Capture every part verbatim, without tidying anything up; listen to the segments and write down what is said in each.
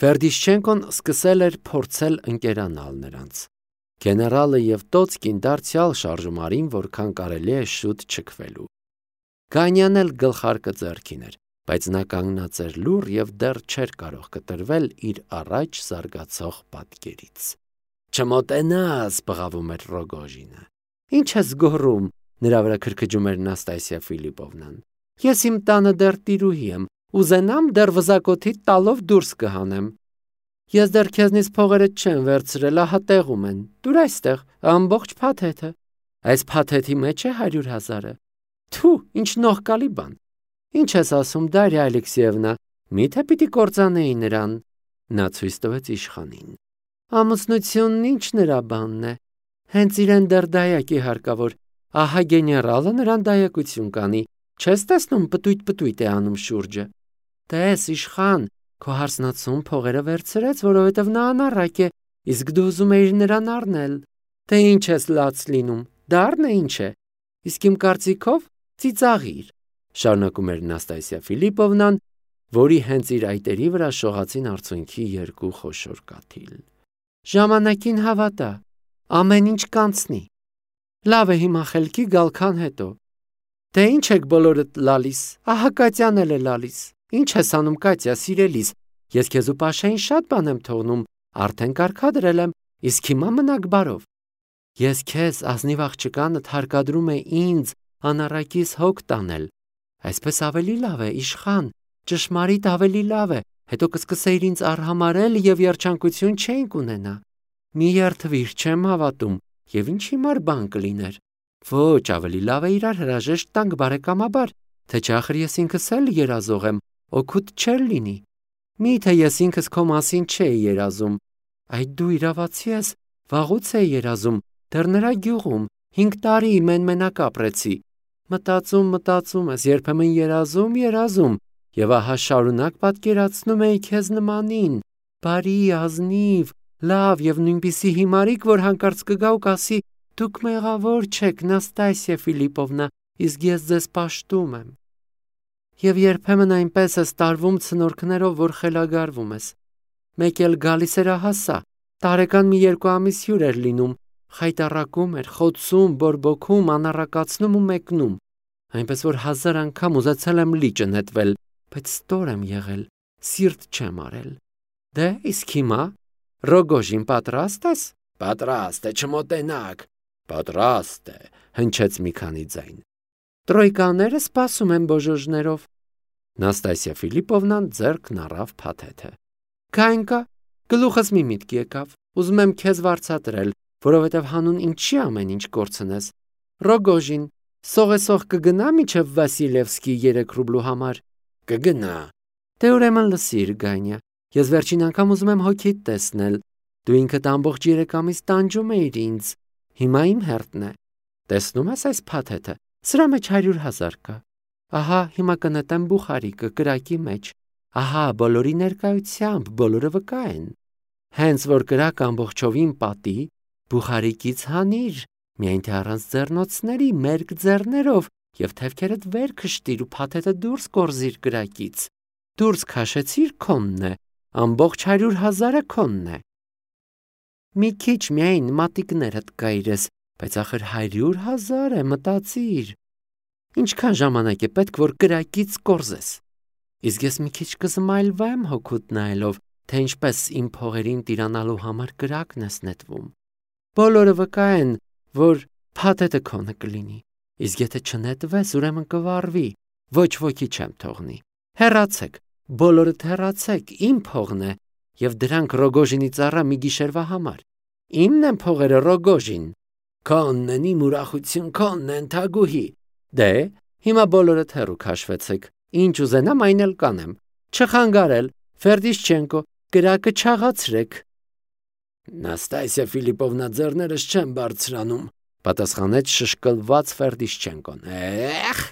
Վերդիշչենկոն սկսել էր փորձել ընկերանալ նրանց։ Գեներալը և Տոցկին դարձյալ շարժում արին, որքան կարելի է շուտ չքվելու։ Գանյան էլ գլխարկը ձեռքին էր, բայց նա կանգնած էր լուռ և դեռ չէր կարող կտրվել իր առաջ զարգացող պատկերից։ «Չմոտենաս», բղավում էր Ռոգոժինը։ «Ինչ ես գոռում», նրա վրա քրքջում էր Նաստասիա Ֆիլիպովնան։ «Ես իմ տանը դեռ տիրուհի եմ, ուզենամ դեռ վզակոթիդ տալով դուրս կհանեմ։ Ես դեռ քեզնից փողերը չեմ վերցրել, ահա տեղում են, տուր այստեղ, ամբողջ փաթեթը։ Այս փաթեթի մեջ է հարյուր հազարը։ Թու, ինչ նողկալի բան։ Ինչ ես ասում, Դարիա Ալեքսեևնա, միթե պիտի կործանեի նրան»։ Նա ցույց տվեց իշխանին։ «Ամուսնությունն ինչ նրա բանն է։ Հենց իրեն դեռ դայակի հարկավոր, ահա գեներալը նրան դայակություն կանի, չես տեսնում պտույտ-պտույտ է անում շուրջը։ Տես, իշխան, քո հարսնացուն փողերը վերցրեց, որովհետև նա անառակ է, իսկ դու ուզում էիր նրան առնել։ Թե ինչ ես լաց լինում, դառն է ինչ է, իսկ իմ կարծիքով ծիծաղիր», շարունակում էր Նաստասիա Ֆիլիպովնան, որի հենց իր այտերի վրա շողացին արցունքի երկու խոշոր կաթիլ։ «Ժամանակին հավատա, ամեն ինչ կանցնի։ Լավ է հիմա խելքի գալքան հետո։ Դե ինչ եք բոլորդ լալիս, ահա Կատյան էլ է լալիս։ Ինչ ես անում, Կատյա, սիրելիս, ես քեզ ու Պաշային շատ բան եմ թողնում, արդեն կարգադրել եմ, իսկ հիմա մնաք բարով։ Ես քեզ ազնիվ աղջկանդ հարկադրում է ինձ անառակիս հոգ տանել։ Այսպես ավելի լավ է, իշխան, ճշմարիտ ավելի լավ է, հետո կսկսեիր ինձ արհամարհել և երջանկություն չէինք ունենա։ Մի երդվիր, չեմ հավատում, և ինչ հիմար բան կլիներ։ Ոչ, ավելի լավ է իրար հրաժեշտ տանք բարեկամաբար, թե չէ ախր ես ինքս էլ երազող եմ, օգուտ չէր լինի։ Միթե ես ինքս քո մասին չէի երազում։ Այդ դու իրավացի ես, վաղուց էի երազում, դեռ նրա գյուղում, հինգ տարի մեն-մենակ ապրեցի։ Մտածում, մտածում ես, երբեմն երազում, երազում, և ահա շարունակ պատկերացնում էի քեզ նմանին, բարի, ազնիվ, լավ և նույնպիսի հիմարիկ, որ հանկարծ կգա ու կասի. «Դուք մեղավոր չեք, Նաստասիա Ֆիլիպովնա, իսկ ես ձեզ պաշտում եմ»։ Եվ երբեմն այնպես ես տարվում ցնորքներով, որ խելագարվում ես։ Մեկ էլ գալիս էր ահա սա, տարեկան մի երկու ամիս հյուր էր լինում, խայտառակում էր, խոցում, բորբոքում, անառակացնում ու մեկնում։ Այնպես որ հազար անգամ ուզեցել եմ լիճը նետվել, բայց ստոր եմ եղել, սիրտ չեմ արել։ Դե, իսկ հիմա, Ռոգոժին, պատրաստ ես։ Պատրաստ է, չմոտենաք։ Պատրաստ է, հնչեց մի քանի ձայն։ Տրոյկաները սպասում են բոժոժներով։ Նաստասիա Ֆիլիպովնան ձեռքն առավ փաթեթը։ Քայն կա, գլուխս մի միտք եկավ, ուզում եմ քեզ վարձատրել, որովհետև հանուն ինչի ամեն ինչ կորցնես։ Ռոգոժին, սողեսող կգնա մինչև Վասիլևսկի երեք ռուբլու համար։ Կգնա։ Դե ուրեմն լսիր, Գանյա, ես վերջին անգամ ուզում եմ հոգիդ տեսնել։ Դու ինքդ ամբողջ երեք ամիս տանջում էիր ինձ, հիմա իմ հերթն է։ Տեսնում ես այս փաթեթը, սրա մեջ հարյուր հազար կա։ Ահա հիմա կնետեմ բուխարիկը կրակի մեջ։ Ահա բոլորի ներկայությամբ բոլորը վկա են։ Հենց որ կրակ ամբողջովին պատի, բուխարիկից հանիր, միայն թե առանց ձեռնոցների, մերկ ձեռներով, և թևքերդ վեր քշտիր ու փաթեթը դուրս կորզիր կրակից։ Դուրս քաշեցիր, քոնն է, ամբողջ հարյուր հազարը քոնն է։ Մի քիչ միայն մատիկներդ կայրես, բայց ախր հարյուր հազար է, մտածիր։ Ինչքան ժամանակ է պետք, որ կրակից կորզես։ Իսկ ես մի քիչ կզմայլվեմ հոգուտ նայելով, թե ինչպես իմ փողերին տիրանալու համար կրակն ես նետվում։ Բոլորը վկա են, որ փաթեթը քոնը կլինի, իսկ եթե չնետվես, ուրեմն կվառվի, ոչ ոքի չեմ թողնի։ Հեռացեք, բոլորդ հեռացեք, իմ փողն է, և դրանք Ռոգոժինի ծառա մի գիշերվա համար։ Իմն են փողերը, Ռոգոժին։ Քոնն են, իմ ուրախություն, քոնն են, Թագուհի։ Դե, հիմա բոլորդ հեռու քաշվեցեք, ինչ ուզենամ այն էլ կանեմ։ Չխանգարել, Վերդիշչենկո, կրակը չաղացրեք։ Նաստասիա Ֆիլիպովնա, ձեռներս չեմ բարձրանում, պատասխանեց շշկլված Վերդիշչենկոն։ Էխ,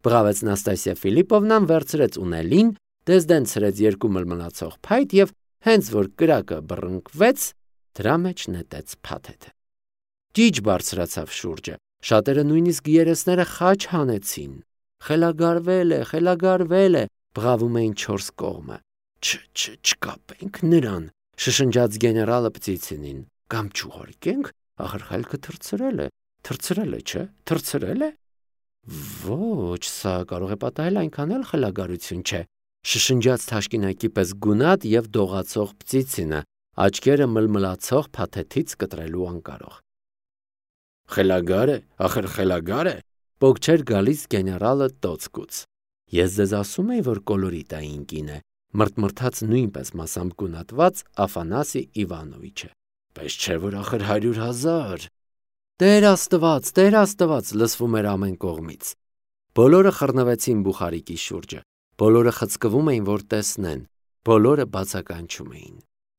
բղավեց Նաստասիա Ֆիլիպովնան, վերցրեց ունելին, դեզդենցրեց երկու մլմլացող փայտ և հենց որ կրակը բռնկվեց, դրա մեջ նետեց փաթեթը։ Ճիչ բարձրացավ շուրջը, շատերը նույնիսկ երեսները խաչ հանեցին։ Խելագարվել է, խելագարվել է, բղավում էին չորս կողմը։ Չկապենք նրան, շշնջաց գեներալը Պտիցինին, կամ չուղարկենք, ախր խելքը թրցրել է, թրցրել է, չէ, թրցրել է։ Ոչ, սա կարող է պատահել այնքան էլ խելագարություն չէ, շշնջաց թաշկինակի պես գունատ եւ դողացող Պտիցինը, աչքերը մլմլացող փաթեթից կտրելու անկարող։ Խելագար է, ախր խելագար է, պոկչեր գալիս գեներալը տոցկուց։ Ես ձեզ ասում էի, որ կոլորիտային կին է, մրթմրթաց նույնպես մասամբ գունատված Աֆանասի Իվանովիչը։ Պես չէ, որ ախր հարյուր հազար։ Տեր Աստված, Տեր Աստված, լսվում էր ամեն կողմից։ Բոլորը խռնվեցին բուխարիկի շուրջը, բոլորը խցկվում էին, որ տեսնեն, բոլորը բացականչում էին։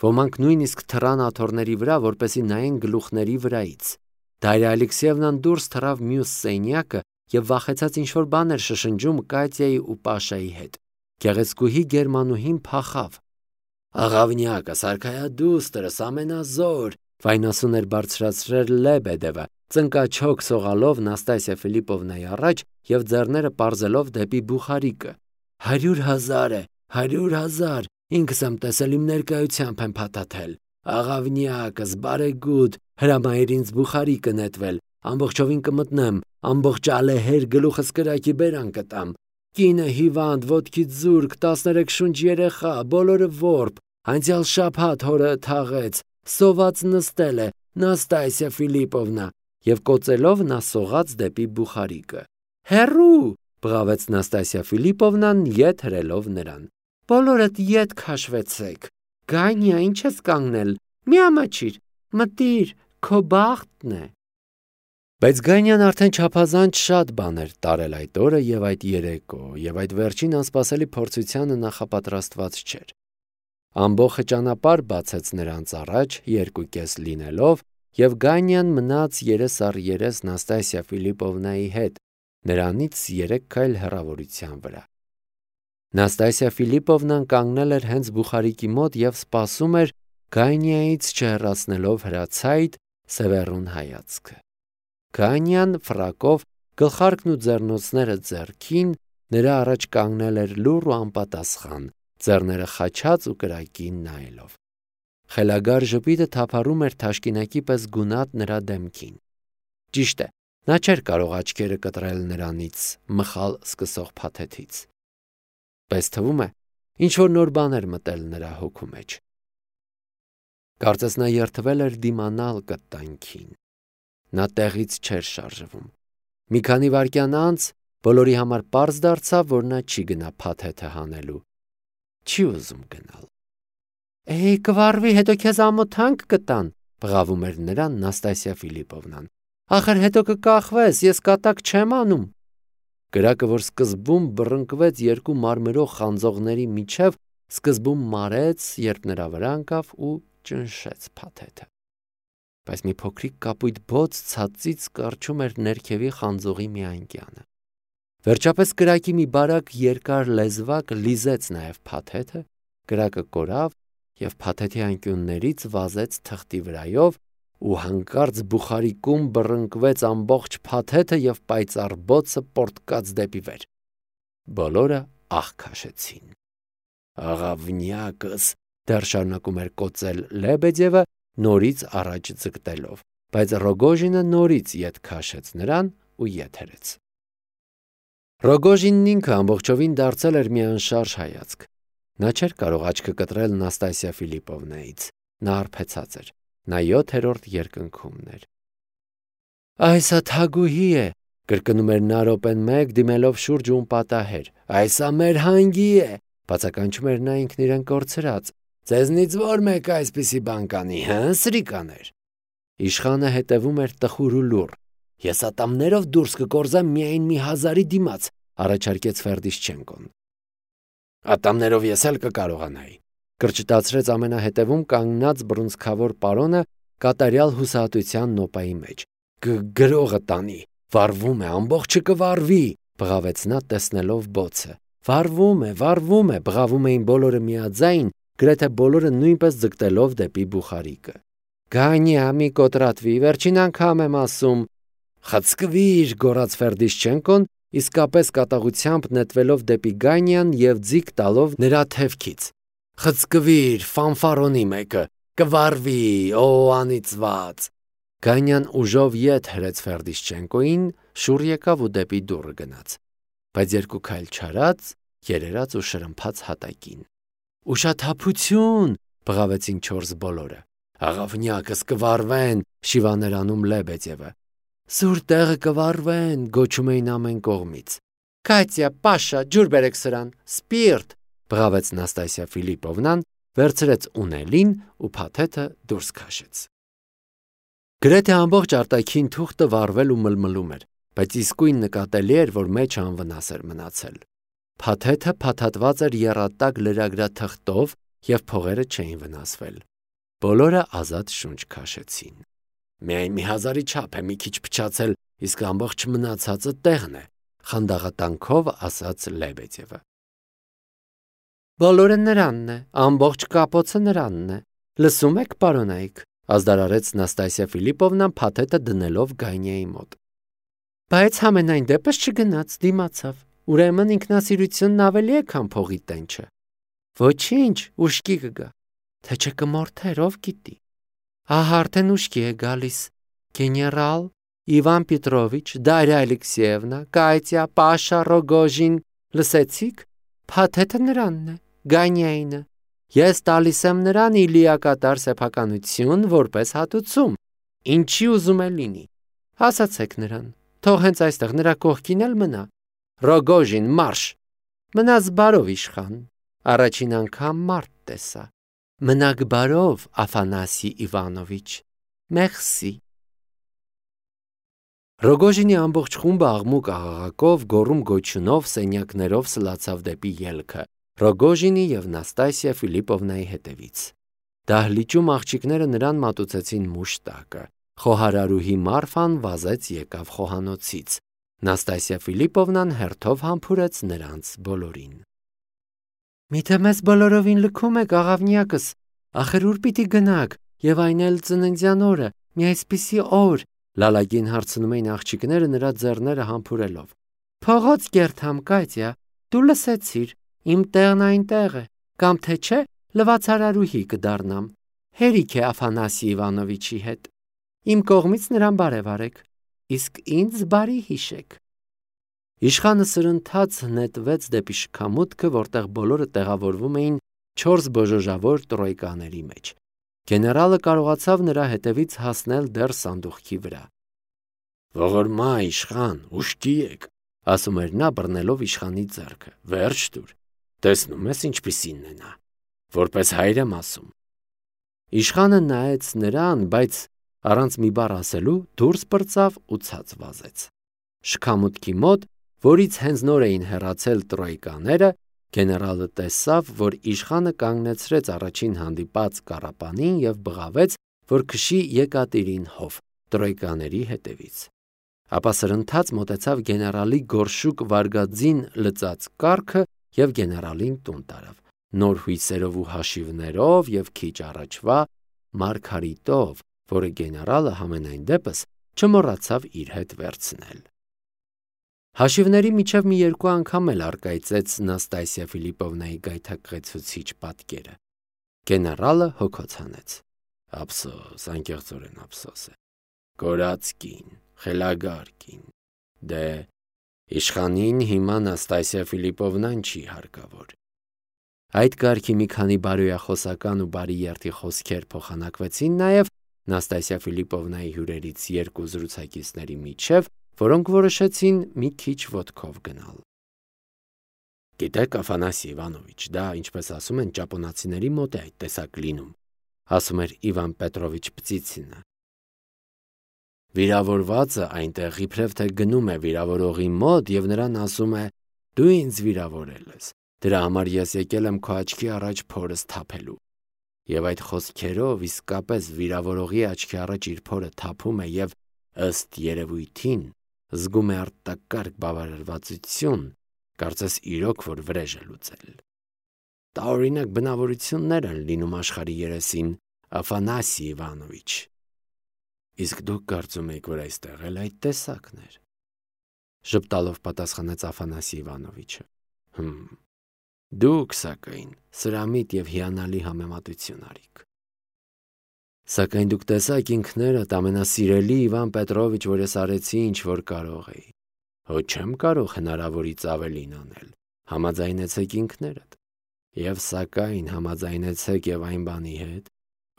Ոմանք նույնիսկ թռան աթոռների վրա, որպեսզի նայեն գլուխների վրայից։ Դարիա Ալեքսեևնան դուրս թռավ մյուս սենյակը եւ վախեցած ինչ-որ բան էր շշնջում Կատյայի ու Պաշայի հետ։ Գեղեցկուհի գերմանուհին փախավ։ Աղավնյակը, սարքայադուստրս, ամենազոր, վայնասուն էր բարձրացրել Լեբեդևը, ծնկաչոք սողալով Նաստասիա Ֆիլիպովնայի առաջ եւ ձեռները պարզելով դեպի բուխարիկը։ Հարյուր հազար է, հարյուր հազար, ինքս եմ տեսել, իմ ներկայությամբ եմ փաթաթել։ Աղավնյակս, բարեգութ, հրամայիր ինձ բուխարիկը նետվել, ամբողջովին կմտնեմ, ամբողջ ալեհեր գլուխս կրակի բերան կտամ։ Կինը հիվանդ, ոտքից զուրկ, տասներեք շունչ երեխա, բոլորը որբ, անցյալ շաբաթ հորը թաղեց, սոված նստել է, Նաստասիա Ֆիլիպովնա, եւ կոծելով նա սողաց դեպի բուխարիկը։ Հերու, բղավեց Նաստասիա Ֆիլիպովնան ետ հրելով նրան։ Բոլորդ ետ քաշվեցեք։ Գանյա, ինչ ես կանգնել, մի ամաչիր, մտիր, քո բախտն է։ Բայց Գանյան արդեն չափազանց շատ բաներ տարել այդ օրը եւ այդ երեկո, եւ այդ վերջին անսպասելի փորձությանը նախապատրաստված չէր։ Ամբողջը ճանապարհ բացեց նրանց առաջ, երկու կես լինելով, եւ Գանյան մնաց երես առ երես Նաստասիա Ֆիլիպովնայի հետ, նրանից երեք քայլ հեռավորության վրա։ Նաստասիա Ֆիլիպովնան կանգնել էր հենց բուխարիկի մոտ եւ սպասում էր Գանյայից չհեռացնելով հրացայտ սևեռուն հայացքը։ Գանյան ֆրակով, գլխարկն ու ձեռնոցները ձեռքին, նրա առաջ կանգնել էր լուռ ու անպատասխան, ձեռները խաչած ու կրակին նայելով։ Խելագար ժպիտը թափառում էր թաշկինակի պես գունատ նրա դեմքին։ Ճիշտ է, նա չէր կարող աչքերը կտրել նրանից մխալ սկսող փաթեթից։ Պես թվում է, ինչ-որ նոր բան էր մտել նրա հոգու մեջ։ Կարծես նա երդվել էր դիմանալ կտանքին։ Նա տեղից չէր շարժվում։ Մի քանի վայրկյան անց բոլորի համար պարզ դարձավ, որ նա չի գնա փաթեթը հանելու։ Չի ուզում գնալ։ Էй, կվարվի, հետո քեզ ամոթանք կտան, բղավում էր նրան Նաստասիա Ֆիլիպովնան։ Ախր հետո կկախվես, ես կատակ չեմ անում։ Կրակը, որ սկզբում բռնկվեց երկու մարմրող խանձողների միջև, սկզբում մարեց, երբ նրա վրա ընկավ ու ճնշեց փաթեթը։ Բայց մի փոքրիկ կապույտ բոց ցածից կառչում էր ներքևի խանձողի մի անկյանը։ Վերջապես կրակի մի բարակ երկար լեզվակ լիզեց նաև փաթեթը, կրակը կորավ եւ փաթեթի անկյուններից վազեց թղթի վրայով ու հանկարծ բուխարիկում բռնկվեց ամբողջ փաթեթը եւ պայծառ բոցը պորտկաց դեպի վեր։ Բոլորը աղ քաշեցին։ Աղավնյակս, դեռ շարունակում էր կոծել Լեբեդևը, նորից առաջ ձգտելով, բայց Ռոգոժինը նորից ետ քաշեց նրան ու ետ հրեց։ Ռոգոժինն ինքը ամբողջովին դարձել էր մի անշարժ հայացք։ Նա չէր կարող աչքը կտրել Նաստասիա Ֆիլիպովնայից, նա արբեցած էր, նա յոթերորդ երկնքումն էր։ Այսա թագուհի է, կրկնում էր նա րոպեն մեկ դիմելով շուրջ ու պատահեր, այսա մեր հանգի է, բացականչում էր նա ինքն իրեն կորցրած, ձեզնից որ մեկ այսպիսի բան կանի, հը, սրիկաներ։ Իշխանը հետևում էր տխուր ու լուռ։ Ես ատամներով դուրս կկորզեմ միայն մի հազարի դիմաց, առաջարկեց Ֆերդիշչենկոն։ Ատամներով ես էլ կկարողանայի, կրճտացրեց ամենահետևում կանգնած բռունցքավոր պարոնը կատարյալ հուսահատության նոպայի մեջ։ Գրողը տանի, վառվում է, ամբողջը կվառվի, բղավեց նա տեսնելով բոցը։ Վառվում է, վառվում է, բղավում էին բոլորը միաձայն, գրեթե բոլորը նույնպես ձգտելով դեպի բուխարիկը։ Գանյա, մի կոտրատվի, վերջին անգամ եմ ասում։ Խցկվիր, գոռաց Ֆերդիշչենկոն, իսկապես կատաղությամբ նետվելով դեպի Գանյան եւ ձիգ տալով նրա թևքից։ Խցկվիր, ֆանֆարոնի մեկը, կվարվի, օ անիծված։ Գանյան ուժով ետ հրեց Ֆերդիշչենկոին, շուռ եկավ ու դեպի դուռը գնաց, բայց երկու քայլ չարած, երերաց ու շրմփաց հատակին։ Ուշաթափություն, բղավեցին չորս բոլորը։ Աղավնյակս կվարվեն, շիվաներանում Լեբեդևը։ Սուր տեղը կվարվեն, գոչում էին ամեն կողմից։ Կատյա, Պաշա, ջուր բերեք սրան, սպիրտ, բղավեց Նաստասիա Ֆիլիպովնան, վերցրեց ունելին ու փաթեթը դուրս քաշեց։ Գրեթե ամբողջ արտաքին թուղթը վառվել ու մլմլում էր, բայց իսկույն նկատելի էր, որ մեջը անվնաս էր մնացել։ Փաթեթը փաթաթված էր եռատակ լրագրաթղթով և փողերը չէին վնասվել։ Բոլորը ազատ շունչ քաշեցին։ Միայն մի հազարի չափ է մի քիչ փչացել, իսկ ամբողջ մնացածը տեղն է, խանդաղատանքով ասաց Լեբեդևը։ Բոլորը նրանն է, ամբողջ կապոցը նրանն է։ Լսում եք, պարոնայք, ազդարարեց Նաստասիա Ֆիլիպովնան փաթեթը դնելով Գանյայի մոտ։ Բայց համենայն դեպս չգնաց, դիմացավ։ Ուրեմն ինքնասիրությունն ավելի է, քան փողի տենչը։ Ոչինչ, ուշքի կգա։ Թե չէ կմորթեր, ով գիտի։ Ահա արդեն ուշքի է գալիս։ Գեներալ Իվան Պետրովիչ, Դարիա Ալեքսեևնա, Կատյա, Պաշա, Ռոգոժին, լսեցիք։ Փաթեթը նրանն է, Գանյայինը։ Ես տալիս եմ նրան ի լիակատար սեփականություն որպես հատուցում։ Ինչի ուզում է լինի։ Ասացեք նրան, թող հենց այստեղ նրա կողքին էլ մնա։ Ռոգոժին, մարշ։ Մնաս բարով, իշխան։ Առաջին անգամ մարդ տեսա։ Մնաք բարով, Աֆանասի Իվանովիչ։ Մերսի։ Ռոգոժինի ամբողջ խումբը աղմուկ աղաղակով, գոռում գոչյունով, սենյակներով սլացավ դեպի ելքը, Ռոգոժինի և Նաստասիա Ֆիլիպովնայի հետևից։ Դահլիճում աղջիկները նրան մատուցեցին մուշտակը։ Խոհարարուհի Մարֆան վազեց եկավ խոհանոցից։ Նաստասիա Ֆիլիպովնան հերթով համբուրեց նրանց բոլորին։ Միթե մեզ բոլորովին լքում եք, աղավնյակս, ախր ուր պիտի գնաք, և այն էլ ծննդյան օրը, մի այսպիսի օր, լալագին հարցնում էին աղջիկները նրա ձեռները համբուրելով։ Փողոց կերթամ, Կատյա, դու լսեցիր, իմ տեղն այնտեղ է, կամ թե չէ, լվացարարուհի կդառնամ, հերիք է Աֆանասի Իվանովիչի հետ։ Իմ կողմից նրան բարև արեք, իսկ ինձ բարի հիշեք։ Իշխանը սրընթաց նետվեց դեպի շքամուտքը, որտեղ բոլորը տեղավորվում էին չորս բոժոժավոր տրոյկաների մեջ։ Գեներալը կարողացավ նրա հետևից հասնել դեռ սանդուղքի վրա։ Ողորմա, իշխան, ուշքի եք, ասում էր նա, բռնելով իշխանի ձեռքը։ Վերջ տուր։ Տեսնում ես ինչպիսինն է նա, որպես հայր եմ ասում։ Իշխանը նայեց նրան, բայց առանց մի բառ ասելու դուրս պրծավ ու ցած վազեց։ Շքամուտքի մոտ, որից հենց նոր էին հեռացել տրոյկաները, գեներալը տեսավ, որ իշխանը կանգնեցրեց առաջին հանդիպած կառապանին և բղավեց, որ քշի Եկատերին հով տրոյկաների հետևից։ Ապա սրընթաց մոտեցավ գեներալի գորշուկ վարգածին լծած կառքը և գեներալին տուն տարավ, նոր հույսերով ու հաշիվներով և քիչ առաջվա Մարգարիտով, որը գեներալը համենայն դեպս չմոռացավ իր հետ վերցնել։ Հաշիվների միջև մի երկու անգամ էլ առկայծեց Նաստասիա Ֆիլիպովնայի գայթակղեցուցիչ պատկերը։ Գեներալը հոգոց հանեց։ Ափսոս, անկեղծորեն ափսոս է։ Կորած կին, խելագար կին։ Դե, իշխանին հիմա Նաստասիա Ֆիլիպովնան չի հարկավոր։ Այդ կարգի մի քանի բարոյախոսական ու բարի երթի խոսքեր փոխանակվեցին նաև Նաստասիա Ֆիլիպովնայի հյուրերից երկու զրուցակիցների միջև, որոնք որոշեցին մի քիչ ոտքով գնալ։ Գիտեք, Աֆանասի Իվանովիչ, դա, ինչպես ասում են, ճապոնացիների մոտ է այդ տեսակ լինում, ասում էր Իվան Պետրովիչ Պծիցինը։ Վիրավորվածը այնտեղ իբրև թե գնում է վիրավորողի մոտ և նրան ասում է. «Դու ինձ վիրավորել ես, դրա համար ես եկել եմ քո աչքի առաջ փորս թափելու»։ Եվ այդ խոսքերով իսկապես վիրավորողի աչքի առաջ իր փորը թափում է և, ըստ երևույթին, զգում է արտակարգ բավարարվածություն, կարծես իրոք որ վրեժ է լուծել։ Տարօրինակ բնավորություններ են լինում աշխարհի երեսին, Աֆանասի Իվանովիչ։ Իսկ դուք կարծում եք, որ այստեղ էլ այդ տեսակն էր։ Ժպտալով պատասխանեց Աֆանասի Իվանովիչը։ Հմ, Դուք, սակայն, սրամիտ և հիանալի համեմատություն արիք։ Սակայն դուք տեսաք ինքներդ, ամենասիրելի Իվան Պետրովիչ, որ ես արեցի, ինչ որ կարող էի։ Հո չեմ կարող հնարավորից ավելին անել, համաձայնեցեք ինքներդ։ Եվ սակայն համաձայնեցեք և այն բանի հետ,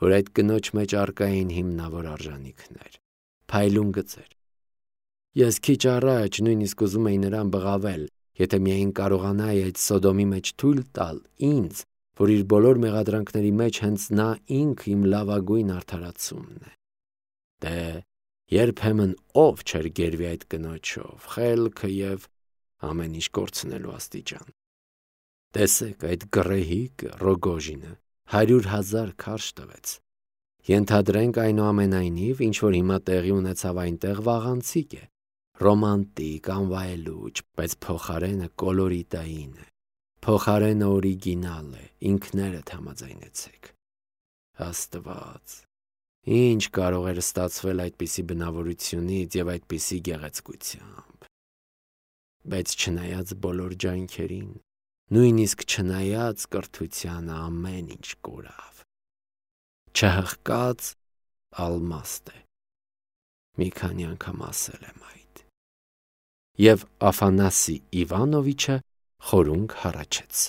որ այդ կնոջ մեջ առկա էին հիմնավոր արժանիքներ, փայլուն գծեր։ Ես քիչ առաջ նույնիսկ ուզում էի նրան բղավել, եթե միայն կարողանայի այդ Սոդոմի մեջ թույլ տալ ինձ, որ իր բոլոր մեղադրանքների մեջ հենց նա ինքը իմ լավագույն արդարացումն է։ Դե, երբեմն ով չէր գերվի այդ կնոջով, խելքը և ամեն ինչ կորցնելու աստիճան։ Տեսեք, այդ գռեհիկը, Ռոգոժինը, հարյուր հազար քարշ տվեց։ Ենթադրենք այնուամենայնիվ, ինչ որ հիմա տեղի ունեցավ այնտեղ վաղանցիկ է, ռոմանտիկ, անվայելուչ, բայց փոխարենը կոլորիտային է, փոխարենը օրիգինալ է, ինքներդ համաձայնեցեք։ Աստված, ինչ կարող էր ստացվել այդպիսի բնավորությունից և այդպիսի գեղեցկությամբ։ Բայց չնայած բոլոր ջանքերին, նույնիսկ չնայած կրթությանը, ամեն ինչ կորավ։ Չհղկած ալմաստ է։ Մի քանի անգամ ասել եմ այդ։ Եվ Աֆանասի Իվանովիչը խորունգ հառաչեց։